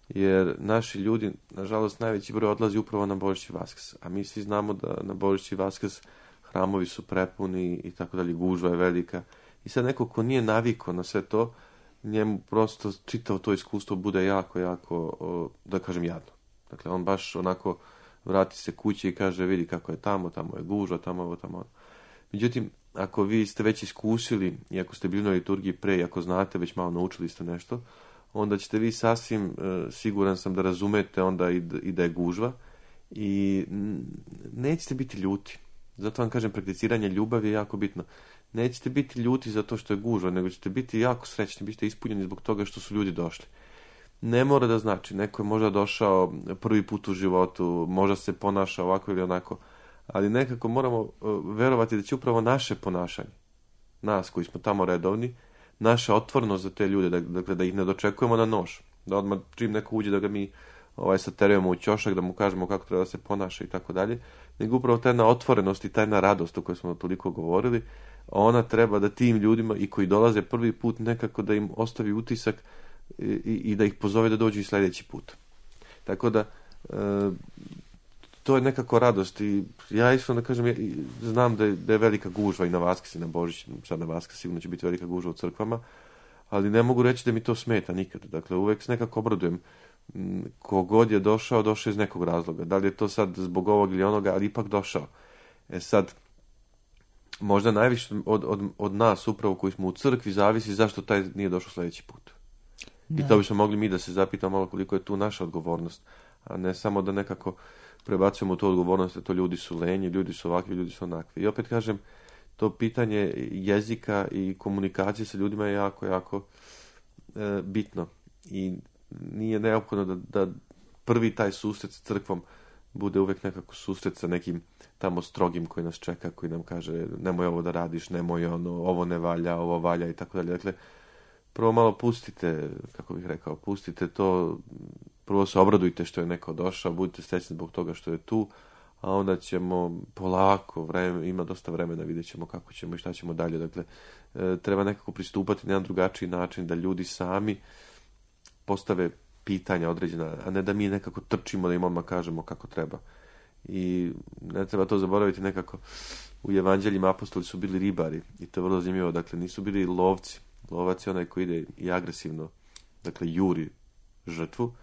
Jer naši ljudi, nažalost, najveći broj odlazi upravo na Božić i Vaskrs. A mi svi znamo da na Božić i Vaskrs hramovi su prepuni i tako dalje, gužva je velika. I sad neko ko nije navikao na sve to, njemu prosto čitavo to iskustvo bude jako, jako, da kažem, jadno. Dakle, on baš onako vrati se kući i kaže vidi kako je tamo, tamo je gužva, tamo ovo, tamo ono. Međutim, ako vi ste već iskusili i ako ste bili na liturgiji pre i ako znate, već malo naučili ste nešto, onda ćete vi sasvim, e, siguran sam da razumete onda i, i da je gužva i nećete biti ljuti. Zato vam kažem, prakticiranje ljubavi je jako bitno. Nećete biti ljuti zato što je gužva, nego ćete biti jako srećni, biste ispunjeni zbog toga što su ljudi došli. Ne mora da znači, neko je možda došao prvi put u životu, možda se ponaša ovako ili onako, ali nekako moramo uh, verovati da će upravo naše ponašanje, nas koji smo tamo redovni, naša otvornost za te ljude, da, dakle da ih ne dočekujemo na nož, da odmah čim neko uđe da ga mi ovaj, saterujemo u ćošak, da mu kažemo kako treba da se ponaša i tako dalje, nego upravo ta jedna otvorenost i ta jedna radost o kojoj smo toliko govorili, ona treba da tim ljudima i koji dolaze prvi put nekako da im ostavi utisak i, i da ih pozove da dođu i sljedeći put. Tako da e, to je nekako radost i ja iskreno da kažem, ja znam da je, da je velika gužva i na Vaskrs i na Božić, sad na Vaskrs sigurno će biti velika gužva u crkvama, ali ne mogu reći da mi to smeta nikad. Dakle, uvek se nekako obradujem. Kogod je došao, došao iz nekog razloga. Da li je to sad zbog ovog ili onoga, ali ipak došao. E sad, možda najviše od, od, od nas upravo koji smo u crkvi zavisi zašto taj nije došao sljedeći put. Da. I to bismo mogli mi da se zapitamo malo koliko je tu naša odgovornost, a ne samo da nekako prebacujemo tu odgovornost, da to ljudi su lenji, ljudi su ovakvi, ljudi su onakvi. I opet kažem, to pitanje jezika i komunikacije sa ljudima je jako, jako e, bitno. I nije neophodno da, da prvi taj susret s crkvom bude uvek nekako susret sa nekim tamo strogim koji nas čeka, koji nam kaže nemoj ovo da radiš, nemoj ono, ovo ne valja, ovo valja i tako dalje. Dakle, prvo malo pustite, kako bih rekao, pustite to, prvo se obradujte što je neko došao, budite srećni zbog toga što je tu, a onda ćemo polako, vreme, ima dosta vremena, vidjet ćemo kako ćemo i šta ćemo dalje. Dakle, e, treba nekako pristupati na jedan drugačiji način, da ljudi sami postave pitanja određena, a ne da mi nekako trčimo da im odmah kažemo kako treba. I ne treba to zaboraviti nekako. U evanđeljima apostoli su bili ribari i to je vrlo zanimljivo. Dakle, nisu bili lovci. Lovac je onaj koji ide i agresivno, dakle, juri žrtvu,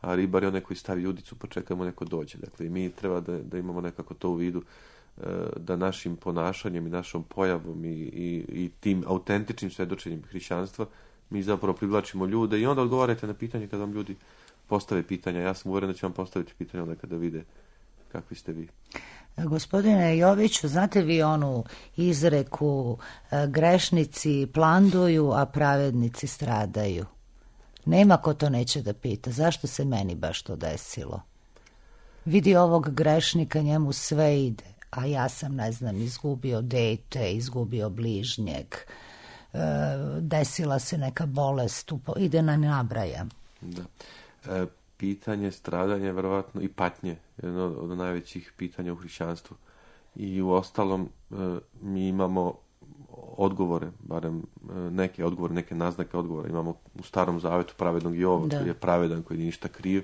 a ribar je onaj koji stavi udicu pa čekamo neko dođe. Dakle, i mi treba da, da imamo nekako to u vidu, da našim ponašanjem i našom pojavom i, i, i tim autentičnim svedočenjem hrišćanstva mi zapravo privlačimo ljude i onda odgovarajte na pitanje kada vam ljudi postave pitanja. Ja sam uvjeren da će vam postaviti pitanje onda kada vide kakvi ste vi. Gospodine Joviću, znate vi onu izreku grešnici planduju, a pravednici stradaju? Nema ko to neće da pita. Zašto se meni baš to desilo? Vidi ovog grešnika, njemu sve ide, a ja sam, ne znam, izgubio dete, izgubio bližnjeg, desila se neka bolest, ide na nabrajam. Da. E, pitanje stradanja, verovatno, i patnje, jedno od najvećih pitanja u hrišćanstvu. I u ostalom e, mi imamo odgovore, barem neke odgovore, neke naznake odgovora. Imamo u Starom Zavetu pravednog Jova, da. Koji je pravedan, koji nije ništa kriv,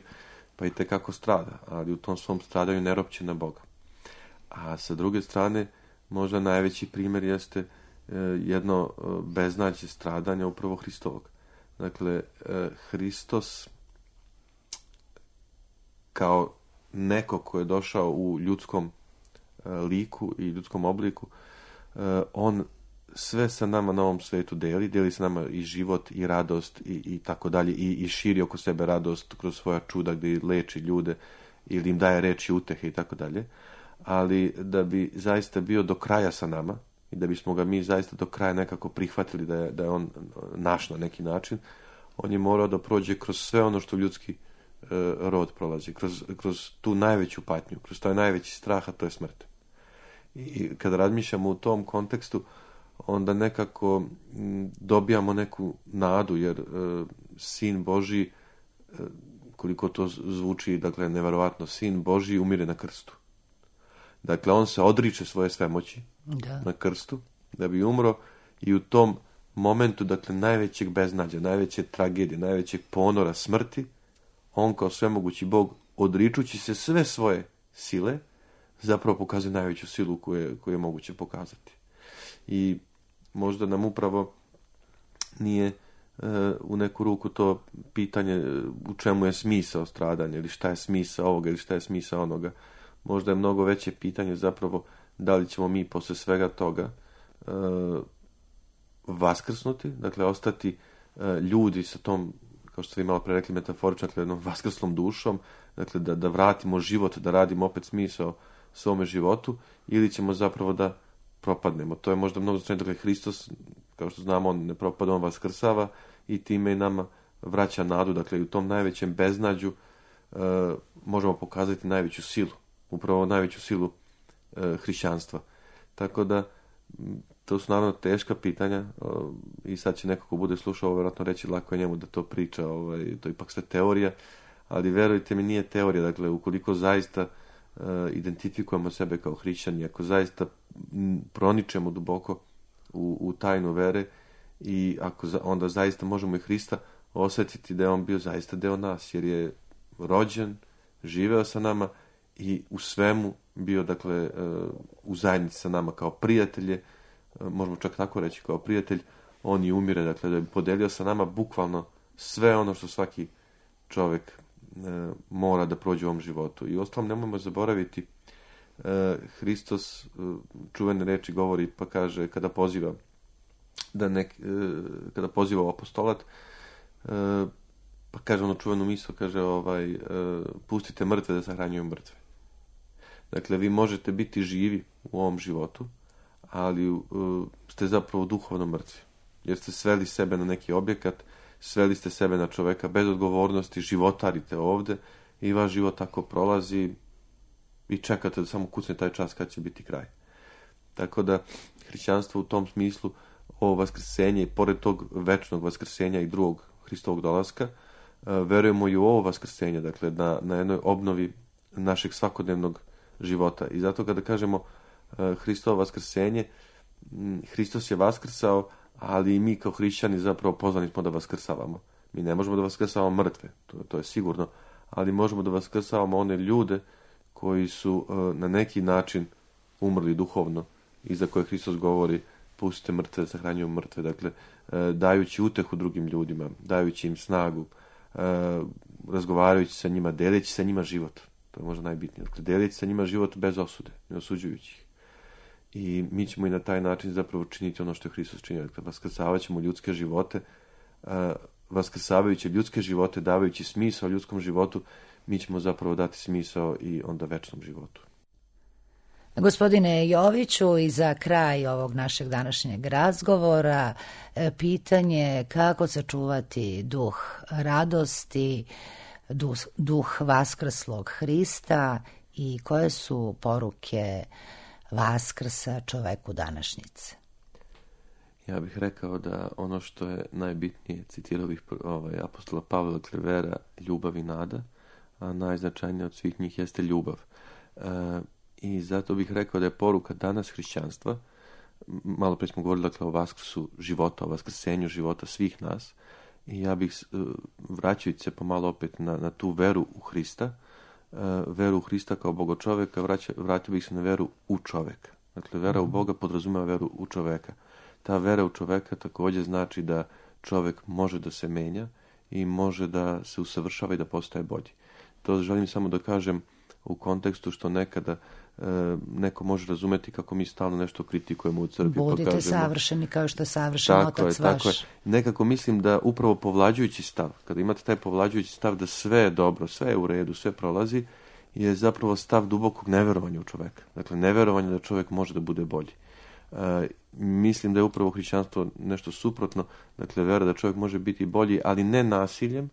pa i tekako strada, ali u tom svom stradanju ne ropće na Boga. A sa druge strane, možda najveći primjer jeste jedno beznađe stradanja upravo Hristovog. Dakle, Hristos kao neko ko je došao u ljudskom liku i ljudskom obliku, on sve sa nama na ovom svetu deli, deli sa nama i život i radost i, i tako dalje, i, i širi oko sebe radost kroz svoja čuda gdje leči ljude ili im daje reči utehe i tako dalje, ali da bi zaista bio do kraja sa nama i da bismo ga mi zaista do kraja nekako prihvatili da je, da je on naš na neki način, on je morao da prođe kroz sve ono što ljudski e, rod prolazi, kroz, kroz tu najveću patnju, kroz taj najveći strah, a to je smrt. I kada razmišljamo u tom kontekstu, onda nekako m, dobijamo neku nadu, jer e, Sin Božji, e, koliko to zvuči, dakle, neverovatno, Sin Božji umire na krstu. Dakle, on se odriče svoje svemoći da. na krstu, da bi umro, i u tom momentu, dakle, najvećeg beznađa, najveće tragedije, najvećeg ponora smrti, on kao svemogući Bog, odričući se sve svoje sile, zapravo pokazuje najveću silu koju je, koju je moguće pokazati. I možda nam upravo nije e, u neku ruku to pitanje u čemu je smisao stradanja, ili šta je smisao ovoga, ili šta je smisao onoga. Možda je mnogo veće pitanje zapravo da li ćemo mi posle svega toga e, vaskrsnuti, dakle ostati e, ljudi sa tom, kao što ste vi malo pre rekli, metaforično, dakle, jednom vaskrslom dušom, dakle da, da vratimo život, da radimo opet smisao svome životu, ili ćemo zapravo da propadnemo. To je možda mnogo značajno. Dakle, Hristos, kao što znamo, on ne propada, on vaskrsava i time i nama vraća nadu. Dakle, u tom najvećem beznađu e, možemo pokazati najveću silu, upravo najveću silu e, hrišćanstva. Tako da, to su naravno teška pitanja o, i sad će neko ko bude slušao ovo vjerojatno reći lako je njemu da to priča, ovaj, to je ipak sve teorija, ali verujte mi, nije teorija. Dakle, ukoliko zaista uh, identifikujemo sebe kao hrišćani, ako zaista m, proničemo duboko u, u tajnu vere, i ako za, onda zaista možemo i Hrista osjetiti da je on bio zaista deo nas, jer je rođen, živeo sa nama i u svemu bio, dakle, uh, u zajednici sa nama kao prijatelje, uh, možemo čak tako reći, kao prijatelj, on i umire, dakle, da bi podelio sa nama bukvalno sve ono što svaki čovjek e, mora da prođe u ovom životu. I ostalom nemojmo zaboraviti, e, Hristos e, čuvene reči govori, pa kaže, kada poziva da nek, e, kada poziva u apostolat, e, pa kaže ono čuvenu misao, kaže ovaj, e, pustite mrtve da sahranjuju mrtve. Dakle, vi možete biti živi u ovom životu, ali e, ste zapravo duhovno mrtvi, jer ste sveli sebe na neki objekat, sveli ste sebe na čoveka bez odgovornosti, životarite ovde i vaš život tako prolazi i čekate da samo kucne taj čas kad će biti kraj. Tako da hrišćanstvo u tom smislu, ovo vaskrsenje, i pored tog večnog vaskrsenja i drugog Hristovog dolaska, verujemo i u ovo vaskrsenje, dakle na, na jednoj obnovi našeg svakodnevnog života. I zato kada kažemo Hristovo vaskrsenje, Hristos je vaskrsao, ali i mi kao hrišćani zapravo pozvani smo da vaskrsavamo. Mi ne možemo da vaskrsavamo mrtve, to, to je sigurno, ali možemo da vaskrsavamo one ljude koji su uh, na neki način umrli duhovno i za koje Hristos govori pustite mrtve da sahranjuju mrtve. Dakle, uh, dajući utehu drugim ljudima, dajući im snagu, uh, razgovarajući sa njima, deleći sa njima život. To je možda najbitnije. Dakle, deleći sa njima život bez osude, ne osuđujući ih. I mi ćemo i na taj način zapravo činiti ono što je Hristos činio. Dakle, vaskrsavat ćemo ljudske živote, uh, vaskrsavajući ljudske živote, davajući smisao ljudskom životu, mi ćemo zapravo dati smisao i onda večnom životu. Gospodine Joviću, i za kraj ovog našeg današnjeg razgovora, pitanje kako sačuvati duh radosti, duh, duh vaskrslog Hrista i koje su poruke Vaskrsa čoveku današnjice? Ja bih rekao da ono što je najbitnije, citirao bih ovaj, apostola Pavla, dakle vera, ljubav i nada, a najznačajnije od svih njih jeste ljubav. E, I zato bih rekao da je poruka danas hrišćanstva, malo prije smo govorili, dakle, o vaskrsu života, o vaskrsenju života svih nas, i ja bih, vraćajući se pomalo opet na, na tu veru u Hrista, veru u Hrista kao Boga čoveka, vraća, vratio bih se na veru u čoveka. Dakle, vera u Boga podrazumeva veru u čoveka. ta vera u čoveka također znači da čovek može da se menja i može da se usavršava i da postaje bolji. To želim samo da kažem u kontekstu što nekada e, neko može razumeti kako mi stalno nešto kritikujemo u crkvi. Budite kažemo, savršeni kao što je savršen tako otac je, vaš. Tako je. Nekako mislim da upravo povlađujući stav, kada imate taj povlađujući stav da sve je dobro, sve je u redu, sve prolazi, je zapravo stav dubokog neverovanja u čoveka. Dakle, neverovanja da čovjek može da bude bolji. E, mislim da je upravo hrišćanstvo nešto suprotno, dakle, vera da čovjek može biti bolji, ali ne nasiljem,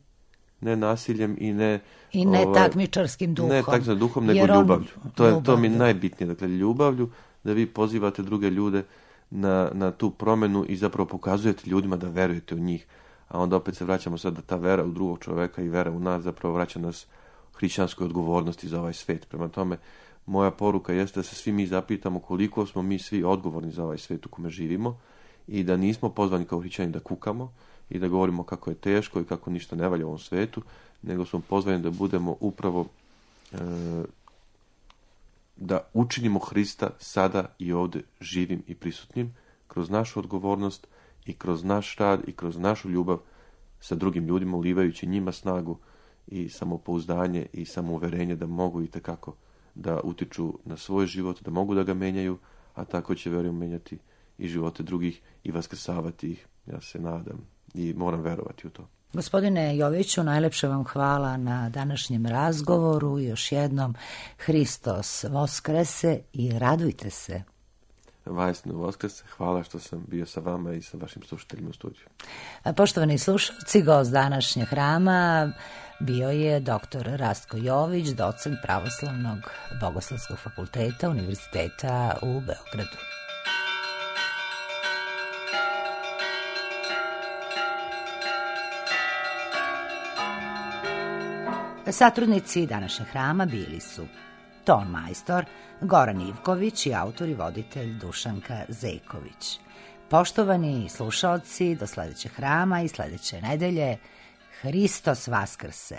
ne nasiljem i ne... I ne ovaj, takmičarskim duhom. Ne takmičarskim duhom, nego on, ljubavlju. To, je, to mi je ljubavlju. najbitnije. Dakle, ljubavlju, da vi pozivate druge ljude na, na tu promjenu i zapravo pokazujete ljudima da verujete u njih. A onda opet se vraćamo sad da ta vera u drugog čoveka i vera u nas zapravo vraća nas hrišćanskoj odgovornosti za ovaj svijet. Prema tome, moja poruka jeste da se svi mi zapitamo koliko smo mi svi odgovorni za ovaj svijet u kome živimo i da nismo pozvani kao hrišćani da kukamo i da govorimo kako je teško i kako ništa ne valja u ovom svijetu, nego smo pozvani da budemo upravo e, da učinimo Hrista sada i ovdje živim i prisutnim kroz našu odgovornost i kroz naš rad i kroz našu ljubav sa drugim ljudima, ulivajući njima snagu i samopouzdanje i samouverenje da mogu i tekako da utiču na svoj život, da mogu da ga menjaju, a tako će, vjerujem, menjati i živote drugih i vaskrsavati ih. Ja se nadam i moram verovati u to. Gospodine Joviću, najlepše vam hvala na današnjem razgovoru. Još jednom, Hristos Voskrese i radujte se. Vajsno Voskrese, hvala što sam bio sa vama i sa vašim slušateljima u studiju. Poštovani slušalci, gost današnjeg hrama bio je doktor Rastko Jović, docent Pravoslavnog bogoslovskog fakulteta Univerziteta u Beogradu. Satrudnici današnjeg hrama bili su ton majstor Goran Ivković i autor i voditelj Dušanka Zejković. Poštovani slušaoci, do sljedećeg hrama i sljedeće nedelje, Hristos Vaskrse!